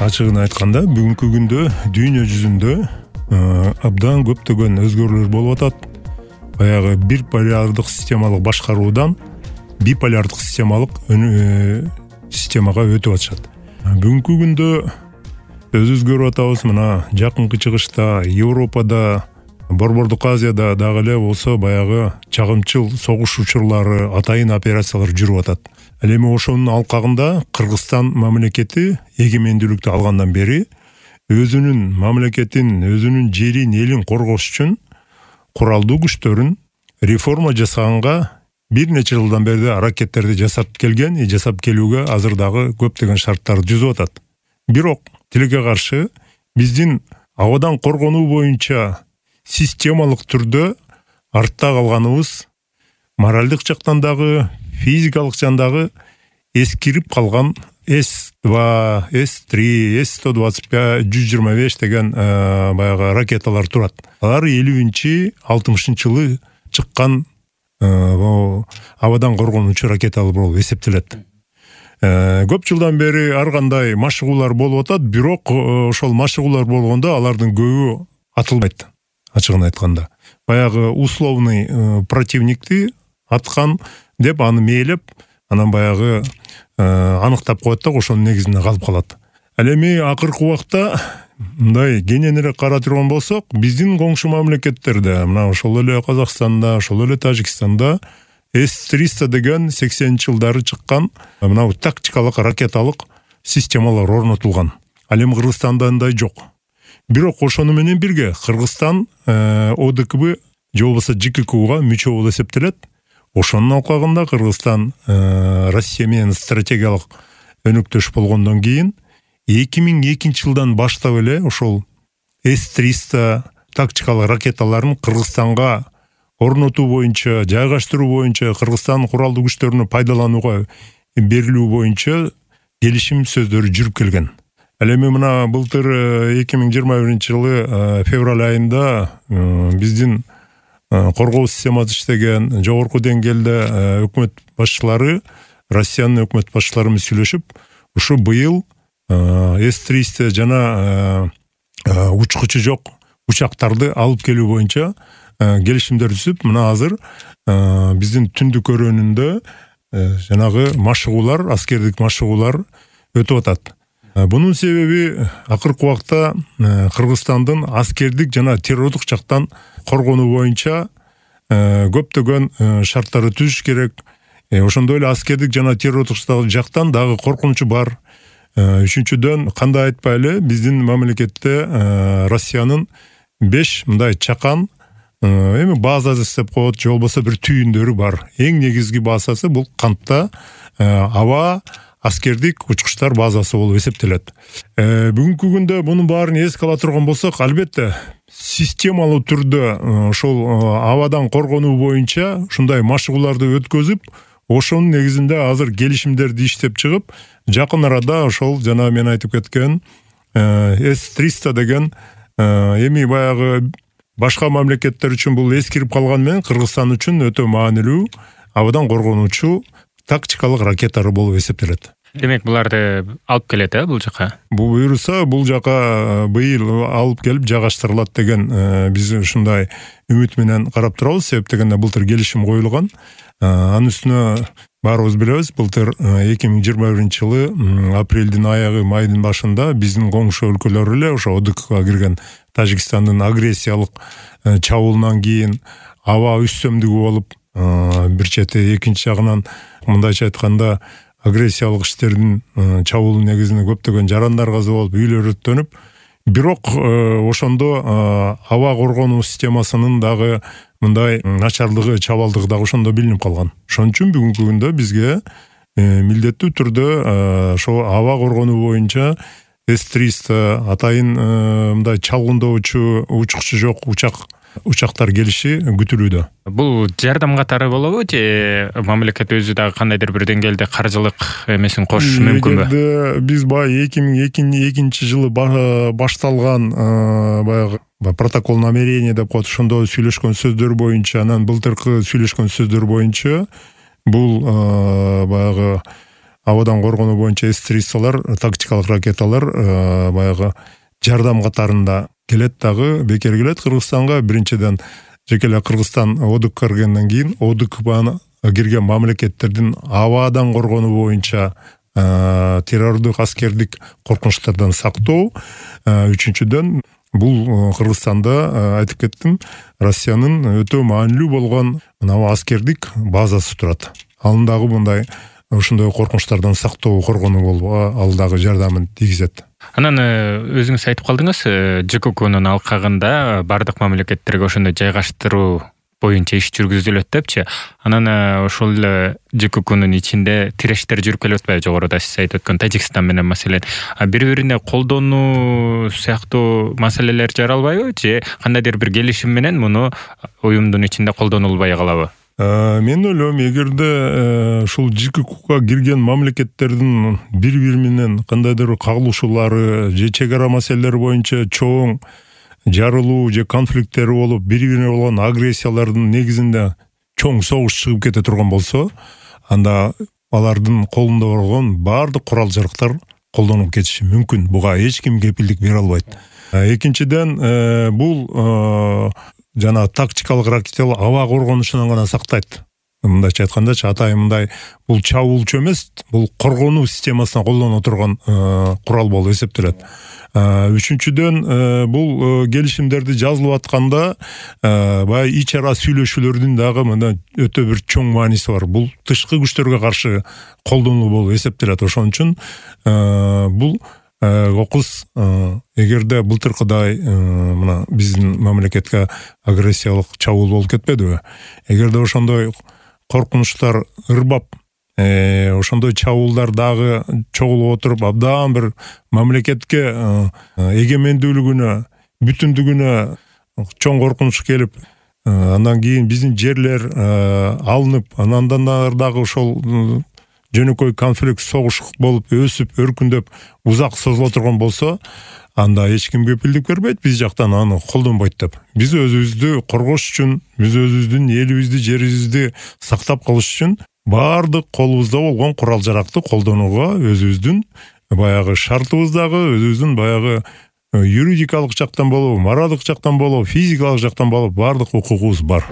Ачыгын айтканда бүгүнкү күндө дүйнө жүзүндө абдан көптөгөн өзгөрүүлөр болуп атат. Баягы бир полярдык системалык башкаруудан биполярдык системага өтүп атышат. Бүгүнкү күндө өзгөрүп атабыз. Мына жакынкы чыгышта Европада, Борбордук Азияда дагы эле болсо баягы чагымчыл согуш учурлары, атайын операциялар жүрүп атат. Ал эми ошонун алкагында Кыргызстан мамлекети эгемендүүлүктү алгандан бери өзүнүн мамлекетин, өзүнүн жерин, элин коргош үчүн куралдуу күчтөрүн реформа жасаганга бир нече жылдан бери аракеттерди жасап келген, жасап келүүгө азыр дагы көптөгөн шарттарды түзүп атат. Бирок тилекке каршы биздин абадан коргонуу боюнча системалык түрдө артта калганыбыз моралдык жактан дагы, физикалык жандагы эскирип калган С-2, С-3, С-125, 125 деген баягы ракеталар турат. Алар 50-60 жылы чыккан абадан коргонуучу ракеталар болуп эсептелет. Көп жылдан бери ар кандай машыгуулар болуп атат, бирок ошол машыгуулар болгондо алардын көбү атылбайт. Ачыгын айтканда, баягы условный противникти аткан деп аны мээлеп, анан баягы аныктап коет да, ошонун негизинде калып калат. Ал эми акыркы убакта мындай кененирээк карап турган болсок, биздин коңшу мамлекеттерде, мына ошол эле Казакстанда, ошол эле Тажикстанда С-300 деген 80-жылдары чыккан мына тактикалык ракеталык системалар орнотулган. Ал эми Кыргызстанда андай жок. Бирок ошону менен бирге Кыргызстан ОДКБ же болбосо ЖККУга мүчө болуп эсептелет. Ошонун алкагында Кыргызстан Россия менен стратегиялык өнөктөш болгондон кийин 2002 жылдан баштап эле ошол С-300 тактикалык ракеталарын Кыргызстанга орнотуу боюнча, жайгаштыруу боюнча, Кыргызстан куралдуу күчтөрүнү пайдаланууга берилүү боюнча келишим сөздөрү жүрүп келген. Ал эми мына былтыр 2021 жылы февраль айында биздин коргоо системасы иштеген жогорку деңгээлде өкмөт башчылары, Россиянын өкмөт башчылары менен сүйлөшүп, ушу быйыл С-300 жана учкучу жок учактарды алып келүү боюнча келишимдер түзүп, мына азыр биздин түндүк өрөөнүндө жанагы машыгуулар, аскердик машыгуулар өтүп атат. Бунун себеби акыркы убакта Кыргызстандын аскердик жана террордук жактан коргонуу боюнча көптөгөн шарттарды түзүш керек. Ошондой эле аскердик жана террордук жактан дагы коркунучу бар. Үчүнчүдөн, кандай айтпайлы, биздин мамлекетте Россиянын 5 мындай чакан эми база деп коет, же болбосо бир түйүндөрү бар. Эң негизги базасы бул Кантта аба аскердик учкучтар базасы болуп эсептелет. Бүгүнкү күндө мунун баарын эске ала турган болсок, албетте системалуу түрдө ошол абадан коргонуу боюнча ушундай машыгууларды өткөзүп, ошонун негизинде азыр келишимдерди иштеп чыгып, жакын арада ошол жана мен айтып кеткен С-300 деген эми баягы башка мамлекеттер үчүн бул эскирип калган менен Кыргызстан үчүн өтө маанилүү абадан коргонуучу тактикалык ракеталар болуп эсептелет. Демек, буларды алып келет, бул жака? Бул буюрса, бул жака быйыл алып келип жайгаштырылат деген биз ушундай үмүт менен карап турабыз. Себеп дегенде былтыр келишим коюлган. Анын үстүнө баарыбыз билебиз, былтыр 2021 жылы апрелдин аягы, майдын башында биздин коңшу өлкөлөр эле ошо ОДКБга кирген Тажикстандын агрессиялык чабуулунан кийин аба үстөмдүгү болуп, бир чети, экинчи жагынан мындайча айтканда агрессиялык иштердин чабуул негизинде көптөгөн жарандар каза болуп, үйлөр өрттөнүп, бирок ошондо аба коргонуу системасынын дагы мындай начарлыгы, чабалдыгы дагы ошондо билинип калган. Ошон үчүн бүгүнкү күндө бизге милдеттүү түрдө ошо аба коргонуу боюнча С-300 атайын мындай чалгындоочу, учкучу жок учактар келиши күтүлүүдө. Бул жардам катары болобу же мамлекет өзү дагы кандайдыр бир деңгээлде каржылык эмесин кошушу мүмкүнбү? Биз баягы 2002 жылы башталган баягы протокол намерения деп коет, ошондо сүйлөшкөн сөздөр боюнча, анан былтыркы сүйлөшкөн сөздөр боюнча бул баягы абадан коргонуу боюнча С-300 тактикалык ракеталар баягы жардам катарында келет, дагы бекер келет Кыргызстанга. Биринчиден жеке эле Кыргызстан ОДК киргенден кийин ОДК кирген мамлекеттердин абадан коргонуу боюнча террордук, аскердик коркунучтардан сактоо. Үчүнчүдөн бул Кыргызстанда айтып кеттим, Россиянын өтө маанилүү болгон аскердик базасы турат. Анын дагы мындай ошондой коркунучтардан сактоо, коргонуу болуп, ал дагы жардамын тийгизет. Анан өзүңүз айтып калдыңыз, ЖККнын алкагында бардык мамлекеттерге ошондой жайгаштыруу боюнча иш жүргүзүлөт депчи. Анан ошол эле ЖККнын ичинде тирештер жүрүп келип атпайбы? Жогоруда сиз айтып өткөн Тажикстан менен маселен бири-бирине колдонуу сыяктуу маселелер жаралбайбы? Же кандайдыр бир келишим менен муну уюмдун ичинде колдонулбай калабы? Мен ойлойм, эгерде ушул ЖККга кирген мамлекеттердин бири-бири менен кандайдыр кагылышуулары же чек ара маселелери боюнча чоң жарылуу же конфликттери болуп, бири-бирине болгон агрессиялардын негизинде чоң согуш чыгып кете турган болсо, анда алардын колунда болгон баардык курал-жарактар колдонулуп кетиши мүмкүн. Буга эч ким кепилдик бере албайт. Экинчиден, бул жана тактикалык ракеталар аба коргонушунан гана сактайт. Мындайча айткандачы, атайын мындай, бул чабуулчу эмес, бул коргонуу системасына колдоно турган курал болуп эсептелет. Үчүнчүдөн, бул келишимдерди жазылып атканда баягы ич ара сүйлөшүүлөрдүн дагы мына өтө бир чоң мааниси бар. Бул тышкы күчтөргө каршы колдонуу болуп эсептелет. Ошон үчүн бул окуз эгерде былтыркыдай мына биздин мамлекетке агрессиялык чабуул болуп кетпедиби? Эгерде ошондой коркунучтар ырбап, ошондой чабуулдар дагы чогулуп отуруп, абдан бир мамлекетке эгемендүүлүгүнө, бүтүндүгүнө чоң коркунуч келип, андан кийин биздин жерлер алынып, андан дагы ошол жөнөкөй конфликт, согуш болуп, өсүп, өркүндөп, узак созула турган болсо, анда эч ким кепилдик бербейт биз жактан аны колдонбойт деп. Биз өзүбүздү коргош үчүн, биз өзүбүздүн элибизди, жерибизди сактап калыш үчүн баардык колубузда болгон курал-жаракты колдонууга өзүбүздүн баягы шартыбыз дагы, өзүбүздүн баягы юридикалык жактан болобу, моралдык жактан болобу, физикалык жактан болобу баардык укугубуз бар.